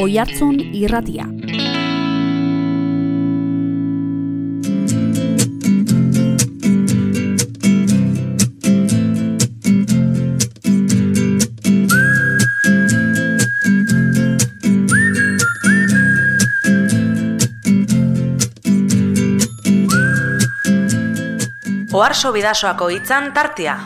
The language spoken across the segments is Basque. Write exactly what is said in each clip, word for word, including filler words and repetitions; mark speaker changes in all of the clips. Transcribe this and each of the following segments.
Speaker 1: Oihartzun Irratia.
Speaker 2: Oharso Bidasoako hitzan tartea.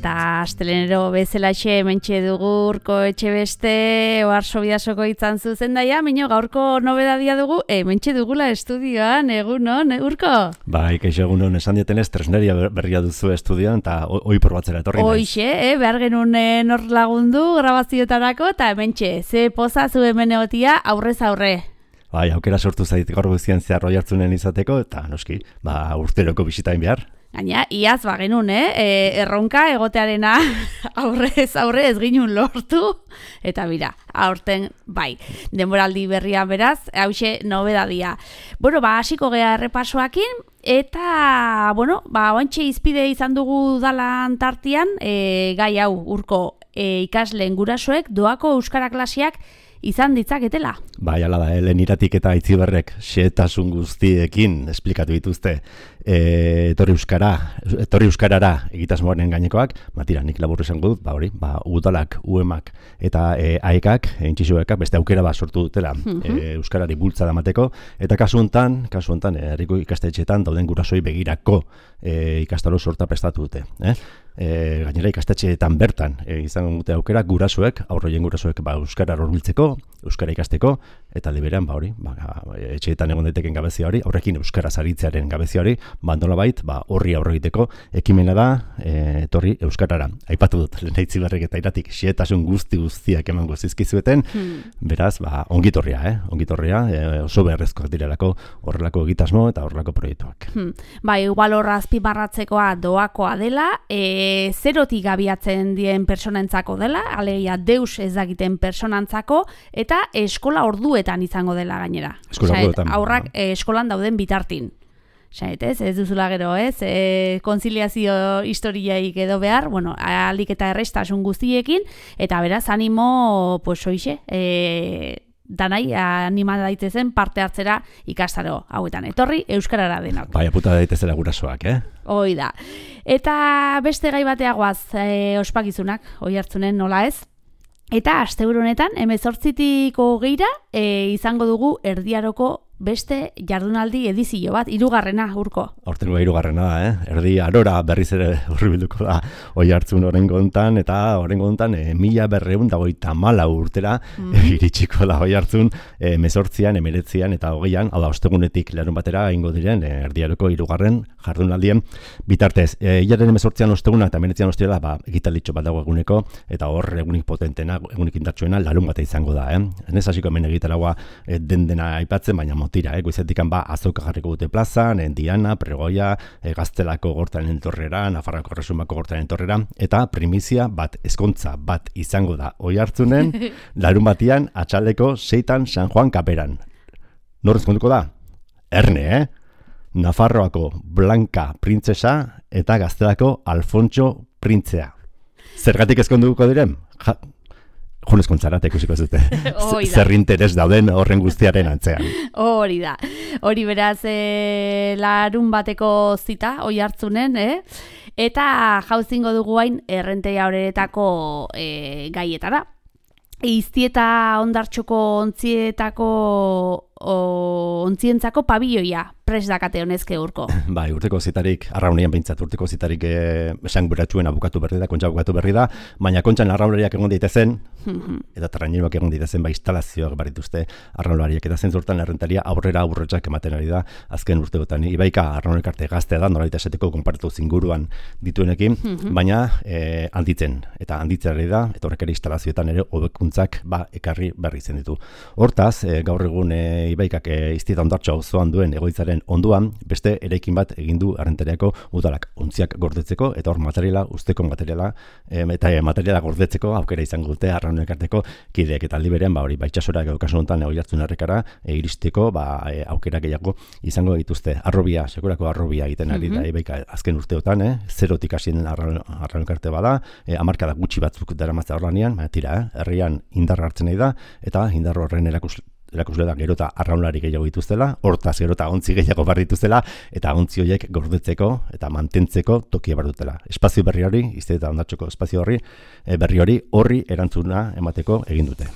Speaker 1: Eta astelenero bezalaxe hementxe dugu Urko Etxebeste Oharso Bidasoko hitzan zuzendaia, mino gaurko nobedadia dugu, hementxe dugula estudioan, egunon, Urko?
Speaker 3: Bai, kaixo egunon, esan dietenez, tresneria berria duzu estudioan, eta oi probatzera etorri naiz.
Speaker 1: Hoixe, eh, behar genuen nor lagundu grabazioetarako, eta hementxe, ze poza zu hemen egotia aurrez aurre.
Speaker 3: Bai, aukera sortu zait gaur guztien zehar Oihartzunen izateko, eta noski, ba, urteroko bisitain behar.
Speaker 1: Gaina, iaz bagenun, eh? E, erronka egotearena aurrez aurre ez ginun lortu, eta bira, aurten bai, denboraldi berrian beraz, hauxe nobedadia. Bueno, ba, hasiko gea errepasoakin, eta, bueno, ba, oantxe izpide izan dugu dalan tartian, e, gai hau, Urko, e, ikasleen gurasoek doako euskara klasiak izan ditzaketela.
Speaker 3: Bai, ala da, Helen Iratik eta Aitziberrek xehetasun guztiekin esplikatu dituzte e, etorri euskara, etorri euskarara egitasmoaren gainekoak, matira, nik labur esango dut, ba hori, ba udalak, uemak eta e, aekak, entxisuekak beste aukera bat sortu dutela mm-hmm. e, euskarari bultzada emateko, eta kasu hontan, kasu hontan, herriko ikastetxeetan dauden gurasoi begirako e, ikastaro sorta prestatu dute, eh? E, gainera ikastetxeetan bertan e, izango dute aukera gurasoek, aurroien gurasoek ba, euskara horbiltzeko, euskara ikasteko, eta liberean ba hori, ba, etxeetan egon daiteken gabezia hori, aurrekin euskara zaritzearen gabezia hori, ba nolabait, ba horri aurre egiteko ekimena da, e, etorri euskarara. Aipatu dut, lehen Aitziberrek eta Iratik xehetasun guzti guztiak emango zizkizueten, hmm. beraz, ba ongitorria, eh? Ongitorria, e, oso beharrezkoak direlako horrelako egitasmo eta horrelako proiektuak.
Speaker 1: Hmm. Ba, igual horra azpimarratzekoa doakoa dela, e, zerotik abiatzen dien personentzako dela, alegia deus ez dakiten personantzako, eta eskola orduetan izango dela gainera.
Speaker 3: Eskola orduetan.
Speaker 1: Aurrak e, eskolan dauden bitartin. Xaet, ez, ez duzula gero, ez, e, konziliazio historiaik edo behar, bueno, alik eta errestasun guztiekin, eta beraz, animo, pues, oixe, e, danai anima daitezen parte hartzera ikastaro hauetan. Etorri euskarara denok.
Speaker 3: Bai, aputa daitezela gurasoak, eh?
Speaker 1: Hoi da. Eta beste gai bateagoaz e, ospakizunak, Oihartzunen nola ez? Eta asteburu honetan hemezortzitik hogeira e, izango dugu erdiaroko beste jardunaldi edizio bat, hirugarrena, Urko.
Speaker 3: Hortengo hirugarrena da, eh? Erdi arora berriz ere hurbilduko da Oihartzun oraingo hontan, eta oraingo hontan e, mila berrehun eta hogeita hamalau urtera mm. e, iritsiko da Oihartzun e, hemezortzian, hemeretzian eta hogeian, hala ostegunetik larun batera egingo diren e, erdiaroko hirugarren jardunaldien bitartez. E, Ilaren hemezortzian osteguna eta hemeretzian ostirala, ba, egitalditxo bat dago eguneko, eta hor egunik potentena, egunik indartsuena larun bata izango da, eh? Ez hasiko hemen egitaragoa e, den dena aipatzen, baina tira, eh, goizetikan ba azoka jarriko dute plazan, en Diana, Pregoia, eh, Gaztelako gortaren entorrera, Nafarroako Erresumako gortaren entorrera, eta primizia bat, ezkontza bat izango da Oihartzunen, larun batian, atxaldeko seitan San Juan kaperan. Nor ezkonduko da? Erne, eh? Nafarroako Blanka printzesa eta Gaztelako Alfontxo printzea. Zergatik ezkonduko diren? Ja, Jones kontzarate ikusiko zute. Zer interes dauden horren guztiaren antzean.
Speaker 1: Hori da. Hori beraz e, larun bateko zita Oihartzunen, eh? Eta jauzingo dugu hain errenteia horretako e, gaietara. Iztieta ondartxoko ontzietako o, ontzientzako pabilloia prest dakate honezke Urko.
Speaker 3: Bai, urteko zitarik, arraunean behintzat, urteko zitarik esan beratxuen abukatu berri da, kontxa abukatu berri da, baina kontxan arraunariak egon daitezen, eta terraineroak egon daitezen, ba, instalazioak barituzte arraunariak, eta zentzurtan errentaria aurrera aurretxak ematen ari da, azken urteotan. Ibaika arraunek arte gaztea da, noraita esateko konpartu zinguruan dituenekin, baina eh, handitzen, eta handitzen ari da, eta horrek ere instalazioetan ere hobekuntzak ba, ekarri berri zen ditu. Hortaz, eh, gaur egun eh, ibaikak e, iztieta ondartxo auzoan duen egoitzaren onduan, beste eraikin bat egin du Arranteriako udalak ontziak gordetzeko eta hor materiala, usteko materiala e, eta e, materiala gordetzeko aukera izango dute Arraun Elkarteko kideek eta aldi berean ba hori baitsasora edo kasu honetan Oiartzun Errekara e, iristeko ba e, aukera gehiago izango dituzte. Arrobia, sekurako arrobia egiten ari da ibaika azken urteotan, eh, zerotik hasien Arraun Elkarte bada, e, hamarkada gutxi batzuk daramatza horlanean, baina tira, eh, herrian indar hartzen nahi da eta indar horren erakus erakusle da gero eta arraunlari gehiago dituztela, hortaz gero eta ontzi gehiago bar dituztela, eta ontzi horiek gordetzeko eta mantentzeko tokia bar dutela. Espazio berri hori, izte eta ondartxoko espazio horri, e, berri hori horri erantzuna emateko egin dute.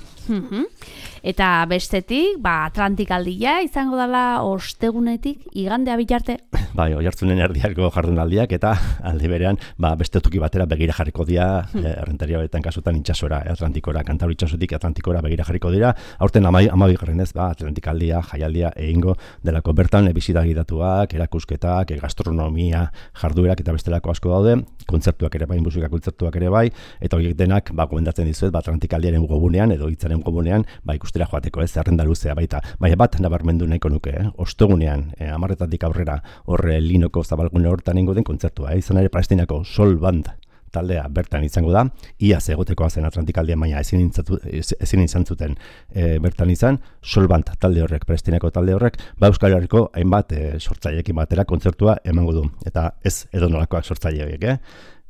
Speaker 1: Eta bestetik, ba, Atlantikaldia izango dela ostegunetik igandea bitarte.
Speaker 3: Bai, Oiartzunen erdiarko jardunaldiak eta aldi berean, ba, beste toki batera begira jarriko dira, hmm. e, Errenteriaretan kasutan itxasora, Atlantikora, Kantauri itxasotik Atlantikora begira jarriko dira. Aurten amabigarren ez, ba, Atlantikaldia, jaialdia egingo delako bertan, e, bisita gidatuak, erakusketak, e, gastronomia, jarduerak eta bestelako asko daude, kontzertuak ere bai, musika kontzertuak ere bai, eta horiek denak, ba, gomendatzen dizuet, ba, Atlantikaldiaren gogunean edo hitzaren gogunean, ba, ikustera joateko ez, zerrenda luzea baita. Baina bat nabarmendu nahiko nuke, eh? Ostegunean, eh, amarretatik aurrera horre linoko zabalgune hortan ingo den kontzertua, eh? Izan ere Palestinako Sol Band taldea bertan izango da, iaz egotekoa zen Atlantikaldian, baina ezin, intzatu, ezin izan zuten e, bertan izan, Sol Band talde horrek, Palestinako talde horrek, ba Euskal Herriko hainbat e, sortzaileekin batera kontzertua emango du, eta ez edonolakoak sortzaileek, eh?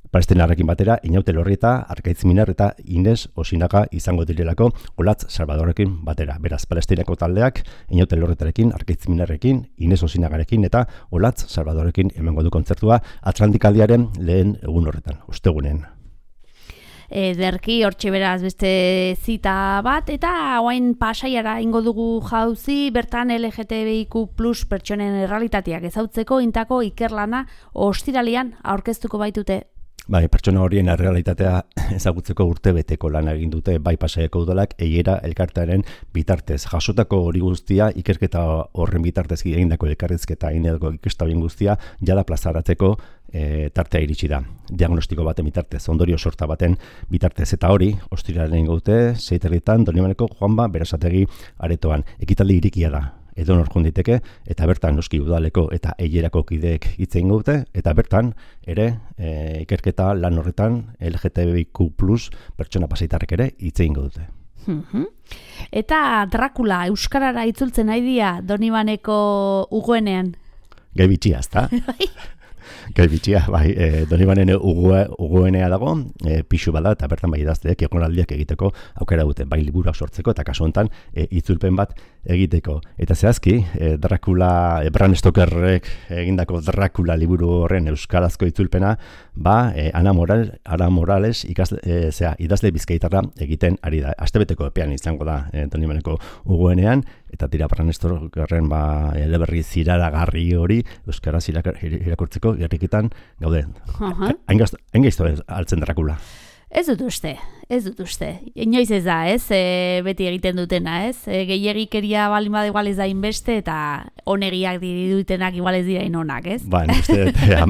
Speaker 3: Palestinarrekin batera, Inaute Lorrieta, Arkaitz Minar eta Ines Osinaga izango direlako Olatz Salvadorrekin batera. Beraz, Palestinako taldeak, Inaute Lorrietarekin, Arkaitz Minarrekin, Ines Osinagarekin eta Olatz Salvadorrekin emango du kontzertua Atlantikaldiaren lehen egun horretan, ostegunen.
Speaker 1: Ederki, hortxe beraz beste zita bat, eta oain Pasaiara ingo dugu jauzi, bertan L G T B I Q plus pertsonen errealitateak ezautzeko intako ikerlana ostiralean aurkeztuko baitute.
Speaker 3: Bai, pertsona horien errealitatea ezagutzeko urtebeteko lan egin dute bai Pasaiako udalak Eiera elkartearen bitartez. Jasotako hori guztia, ikerketa horren bitartez egindako elkarrizketa egindako ikestabien guztia, jada plazaratzeko e, tartea iritsi da. Diagnostiko baten bitartez, ondorio sorta baten bitartez, eta hori, ostiralean gaute, seiterritan, Donibaneko Juanba Berasategi aretoan. Ekitaldi irikia da. Edo norkun diteke, eta bertan noski udaleko eta Eierako kideek hitz egin dute, eta bertan ere e, ikerketa lan horretan L G T B I Q plus pertsona pasaitarrek ere hitz egin dute.
Speaker 1: Eta Dracula euskarara itzultzen nahi dia Donibaneko ugoenean.
Speaker 3: Gai bitxia, ezta? Gai bitxia, bai, e, Donibanen ugoenea dago, e, pixu bada, eta bertan bai idazteek egonaldiak egiteko aukera dute, bai liburuak sortzeko, eta kasu honetan e, itzulpen bat egiteko. Eta zehazki, e, Dracula, e, Bram Stokerrek egindako Dracula liburu horren euskarazko itzulpena, ba, e, Ana, Moral, Ana Morales ikasle, e, zera, idazle bizkaitarra egiten ari da. Astebeteko epean izango da e, Donibaneko ugoenean, eta tira Bram Stokerren ba, eleberri ziraragarri hori euskaraz irakurtzeko gerrikitan gaude. Hain gaizto altzen Dracula.
Speaker 1: Ez dut uste, ez dut uste. Inoiz ez da, ez? E, beti egiten dutena, ez? E, gehiagikeria balin bada igual ez da inbeste, eta onegiak dirutenak igual ez dira inonak, ez?
Speaker 3: Ba, uste,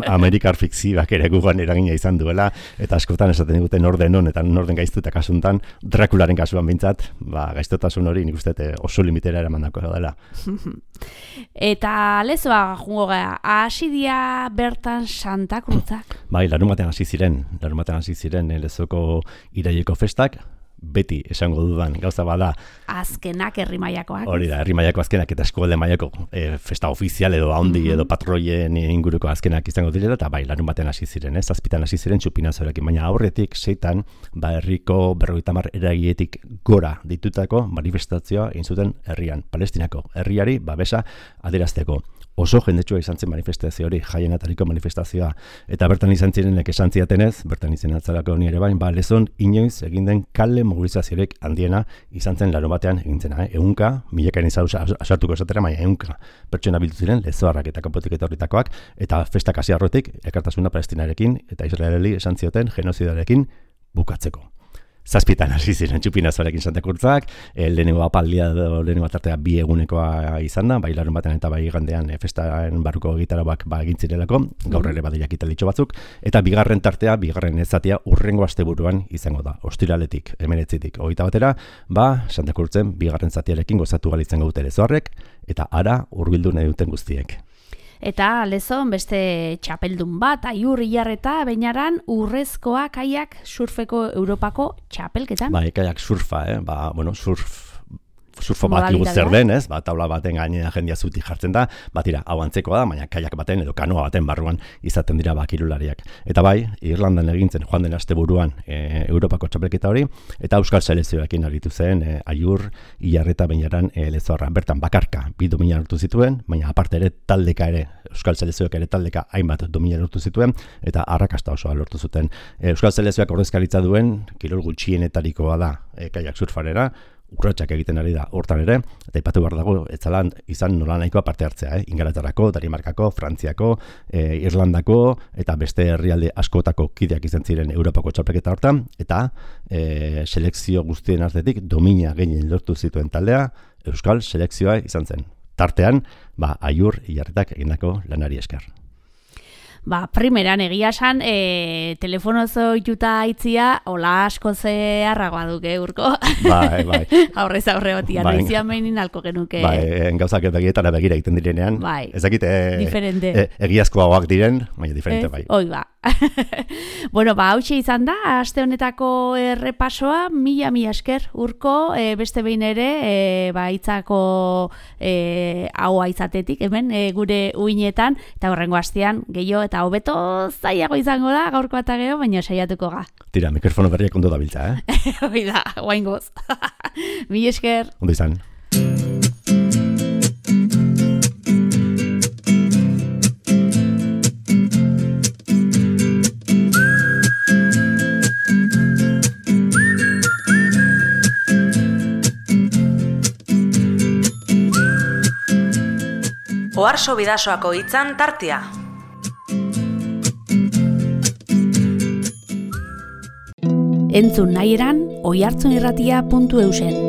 Speaker 3: Amerikar fikzioak ere gugan eragina izan duela, eta askotan esaten diguten norden hon, eta norden gaiztu eta kasuntan, Drakularen kasuan bintzat, ba, gaiztotasun hori nik uste oso limitera eramandako dela.
Speaker 1: Eta lezoa jungo gara, hasi dia bertan Santa Cruzak?
Speaker 3: Bai, larumatean hasi ziren, larumatean hasi ziren lezoko iraileko festak, beti esango dudan gauza bada.
Speaker 1: Azkenak herri mailakoak.
Speaker 3: Hori da, herri mailako azkenak eta eskualde mailako e, festa ofizial edo handi mm-hmm. edo patroien inguruko azkenak izango direla, eta bai, larun batean hasi ziren, ez? Zazpitan hasi ziren txupinazorekin, baina aurretik seitan, ba, herriko berrogeita hamar eragietik gora ditutako manifestazioa egin zuten herrian, Palestinako herriari babesa adierazteko. Oso jendetsua izan zen manifestazio hori, jaien atariko manifestazioa, eta bertan izan zirenek esan ziatenez, bertan izan atzarako honi ere bain, ba, lezon inoiz egin den kale mobilizaziorik handiena izan zen larun batean egin zena, eh? Eunka, milekaren izan asartuko esatera, baina eunka pertsona bildu ziren, lezoarrak eta kanpotik eta horretakoak, eta festak hasi arrotik, ekartasuna Palestinarekin eta Israeli esan zioten genozidarekin bukatzeko. zazpitan hasi ziren txupinazoarekin Santakurtzak, e, lehenengo apaldia edo lehenengo tartea bi egunekoa izan da, bai larun batean eta bai igandean e, festaren barruko gitarabak ba, egin zirelako, gaur ere badeiak italitxo batzuk, eta bigarren tartea, bigarren ezatia urrengo asteburuan izango da, ostiraletik, hemenetzitik, hogeita batera, ba, Santakurtzen bigarren zatiarekin gozatu galitzen gaute lezoarrek, eta ara hurbildu nahi duten guztiek.
Speaker 1: Eta lezon beste txapeldun bat, Aiur Ilarreta Beñaran urrezkoa kaiak surfeko Europako txapelketan.
Speaker 3: Ba, kaiak surfa, eh? Ba, bueno, surf surfo bat lugu zer den, ez? Ba, taula baten gainera jendia zuti jartzen da, bat ira, hau antzekoa da, baina kaiak baten edo kanoa baten barruan izaten dira ba kirolariak. Eta bai, Irlandan egintzen joan den asteburuan e, Europako txapelketa hori, eta Euskal Selekzioekin aritu zen e, Aiur Ilarreta Beñaran e, lezoarra. Bertan bakarka bi domina lortu zituen, baina aparte ere taldeka ere, Euskal Selekzioak ere taldeka hainbat domina lortu zituen, eta arrakasta osoa lortu zuten. E, Euskal Selekzioak ordezkaritza duen, kirol gutxienetarikoa da e, kaiak surfarera, urratsak egiten ari da hortan ere, eta ipatu behar dago, ez zalan izan nola nahikoa parte hartzea, eh? Ingalaterrako, Danimarkako, Frantziako, eh, Irlandako, eta beste herrialde askotako kideak izan ziren Europako txapelketa hortan, eta eh, selekzio guztien artetik domina gehien lortu zituen taldea, Euskal Selekzioa izan zen. Tartean, ba, Aiur Ilarretak egindako lanari esker.
Speaker 1: Ba, primeran egia esan, e, telefonozo ituta aitzia, hola asko zeharragoa duke, Urko.
Speaker 3: Bai, bai.
Speaker 1: Aurrez aurre batia, bai, noizian behin alko genuke.
Speaker 3: Bai, gauzak begietara begira egiten direnean.
Speaker 1: Bai,
Speaker 3: ez dakit, e,
Speaker 1: diferente.
Speaker 3: E, egiazkoagoak diren, baina diferente, bai.
Speaker 1: Hoi ba. Bueno, ba, hautxe izan da, aste honetako errepasoa, mila mila esker, Urko, e, beste behin ere, e, ba, itzako e, haua izatetik, hemen, e, gure uinetan, eta horrengo astean, gehiago, eta hobeto zailago izango da, gaurko eta geho, baina saiatuko ga.
Speaker 3: Tira, mikrofono berriak ondo dabiltza, eh?
Speaker 1: Hoi da, guain goz. Mila esker.
Speaker 3: Ondo izan.
Speaker 2: Oharso Bidasoako hitzan tartea.
Speaker 1: Entzun nahi eran, oihartzunirratia puntu eusen.